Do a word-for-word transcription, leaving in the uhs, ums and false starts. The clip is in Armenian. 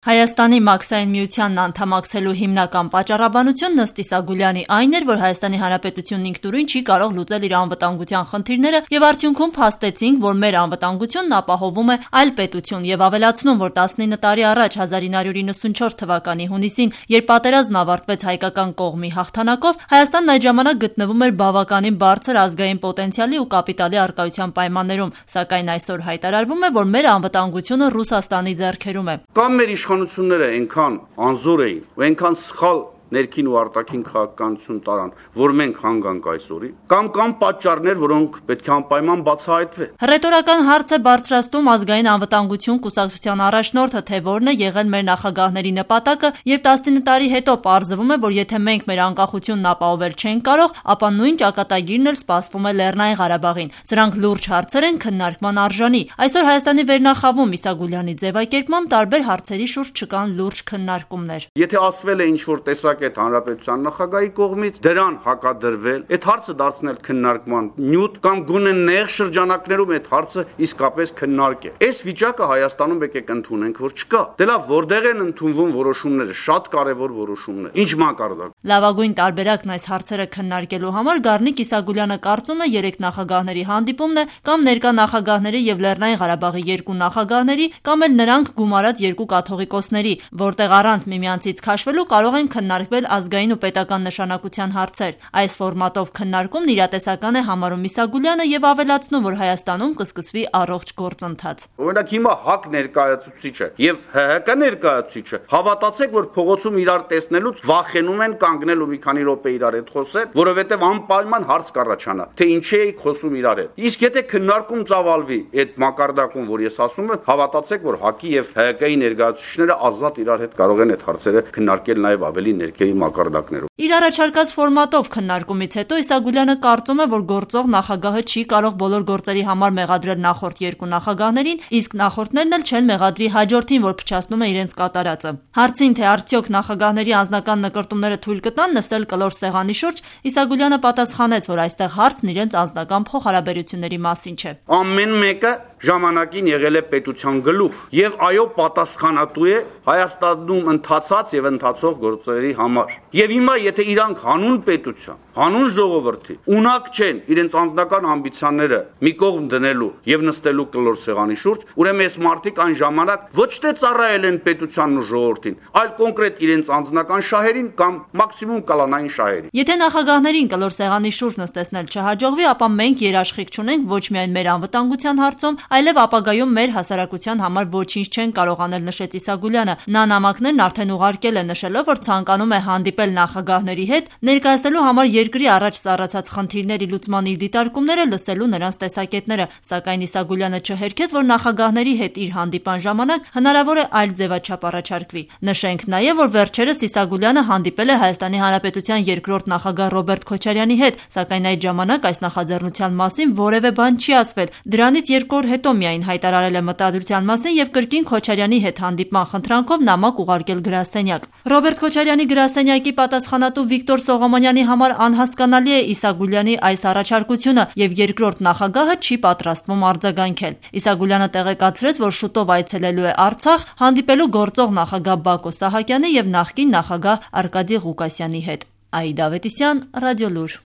Հայաստանի մաքսային միությանն անդամակցելու հիմնական պատճառաբանությունն ըստ Իսագուլյանի այն էր, որ Հայաստանի Հանրապետությունն ինքնուրույն չի կարող լուծել իր անվտանգության խնդիրները եւ արդյունքում փաստեցինք, որ մեր անվտանգությունն ապահովում է այլ պետություն եւ ավելացնում, որ տասնինը տարի առաջ հազար ինը հարյուր իննսունչորդ թվականի հունիսին, երբ պատերազմն ավարտվեց հայկական կողմի հաղթանակով, Հայաստանն այդ ժամանակ գտնվում էր բավականին բարձր ազգային պոտենցիալի ու կապիտալի առկայության պայմաններում, սակայն այսօր հայտարարվում է, որ մեր անվտանգությունը Ռուսաստանի ձեռքերում է։ Կամ մեր իշխանությունները այնքան անզոր էին ու այնքան սխալ ներքին ու արտաքին քաղաքականություն տարան, որ մենք հանգանք այսօրի, կամ կամ պատճառներ, որոնք պետք է անպայման բացահայտվեն։ Հռետորական հարց է բարձրացնում ազգային անվտանգություն կուսակցության առաջնորդը, թե որն է եղել մեր նախագահների նպատակը, եւ տասնինը տարի հետո պարզվում է, որ եթե մենք մեր անկախությունն ապահովել չենք կարող, ապա նույն ճակատագիրն էլ սպասվում է Լեռնային Ղարաբաղին։ Սրանք լուրջ հարցեր են քննարկման արժանի։ Այսօր Հայաստանի վերնախավում Իսագուլյանի ձևակերպմամբ տարբեր հարցերի շուրջ չկան լուրջ քննարկումներ։ Եթե ասվել է ինչ-որ տեսակ այդ հանրապետության նախագահի կողմից դրան հակադրվել, այդ հարցը դարձնել քննարկման նյութ կամ գոնե նեղ շրջանակներում այդ հարցը իսկապես քննարկել։ Այս վիճակը Հայաստանում եկեք ընդունենք, որ չկա։ Դե լավ, որտեղ են ընդունվում որոշումները, շատ կարևոր որոշումներ։ Ինչ մակարդակ։ Լավագույն տարբերակն այս հարցերը քննարկելու համար Գառնիկ Իսագուլյանը կարծում է երեք նախագահների հանդիպումն է կամ ներկա նախագահների եւ Լեռնային Ղարաբաղի երկու նախագահների կամ էլ նրանք գումարած երկու կաթողիկոսների, որտեղ առանց միմյանցից քաշվելու կարող են քննարկվել ազգային ու պետական նշանակության հարցեր։ Այս ֆորմատով քննարկումն իրատեսական է համարում Իսագուլյանը եւ ավելացնում, որ Հայաստանում կսկսվի առողջ գործընթաց։ Օրինակ հիմա ՀԱԿ ներկայացուցիչը եւ ՀՀԿ ներկայացուցիչը հավատացեք, որ փողոցում իրար տեսնելուց վախենում են կանգնել ու մի քանի րոպե իրար հետ խոսել, որովհետեւ անպայման հարց կառաջանա, թե ինչի էիք խոսում իրար հետ։ Իսկ եթե քննարկում ծավալվի այդ մակարդակում, որ ես ասում եմ, հավատացեք, որ ՀԱԿ-ի եւ ՀՀԿ-ի ներկայացուցիչները ազատ իրար հետ կարող են այդ հարցերը քննարկել նաեւ ավելի ներքևի մակարդակներում։ Իր առաջարկած ֆորմատով քննարկումից հետո Իսագուլյանը կարծում է, որ գործող նախագահը չի կարող բոլոր գործերի համար մեղադրել նախորդ երկու նախագահներին, իսկ նախորդներն էլ չեն մեղադրի հաջորդին, որ փչացնում է իրենց կատարածը։ Հարցին, թե արդյոք նախագահների անձնական նկրտումները թույլ կտան նստել կլոր սեղանի շուրջ, Իսագուլյանը պատասխանեց, որ այստեղ հարցն իրենց անձնական փոխհարաբերությունների մասին չէ։ Ամեն մեկը ժամանակին եղել է պետության գլուխ եւ այո պատասխանատու է Հայաստանում ընթացած եւ ընթացող գործերի համար։ Եվ հիմա եթե իրանք հանուն պետության, հանուն ժողովրդի ունակ չեն իրենց անձնական ամբիցիաները մի կողմ դնելու եւ նստելու կլոր սեղանի շուրջ, ուրեմն այս մարդիկ այն ժամանակ ոչ թե ծառայել են պետությանն ու ժողովրդին, այլ կոնկրետ իրենց անձնական շահերին կամ մաքսիմում կալանային շահերին։ Եթե նախագահներին կլոր սեղանի շուրջ նստեցնել չհաջողվի, ապա մենք երաշխիք չունենք ոչ միայն մեր անվտանգության հարցում, այլև ապագայում մեր հասարակության համար ոչինչ չեն կարող անել, նշեց Իսագուլյանը։ Նա նամակներն արդեն ուղարկել է, նշելով, որ ցանկանում է հանդիպել նախագահների հետ, ներկայացնելու համար երկրի առաջ ծառացած խնդիրների լուծման իր դիտարկումները, լսելու նրանց տեսակետները, սակայն Իսագուլյանը չհերքեց, որ նախագահների հետ իր հանդիպան ժամանակ հնարավոր է այլ ձևաչափ առաջարկվի։ Նշենք նաև, որ վերջերս Իսագուլյանը հանդիպել է Հայաստանի Հանրապետության երկրորդ նախագահ Ռոբերտ Քոչարյանի հետ, սակայն այդ ժամանակ այս նախաձեռնության մասին որևէ բան չի ասվել։ Դրանից երկու օր հետո միայն հայտարարել է մտադրության մասին եւ կրկին Քոչարյանի հետ հանդիպման խնդրանքով նամակ ուղարկել գրասենյակ։ Ռոբերտ Քոչարյանի գրասենյակի պատասխանատու Վիկտոր Սողոմոնյանի համար անհասկանալի է Իսագուլյանի այս առաջարկությունը եւ երկրորդ նախագահը չի պատրաստվում արձագանքել։ Իսագուլյանը տեղեկացրեց, որ շուտով այցելելու է Արցախ, հանդիպելու գործող նախագահ Բակո Սահակյանի եւ նախկին նախագահ Արկադի Ղուկասյանի հետ։ Աիդա Ավետիսյան, Ռադիոլուր։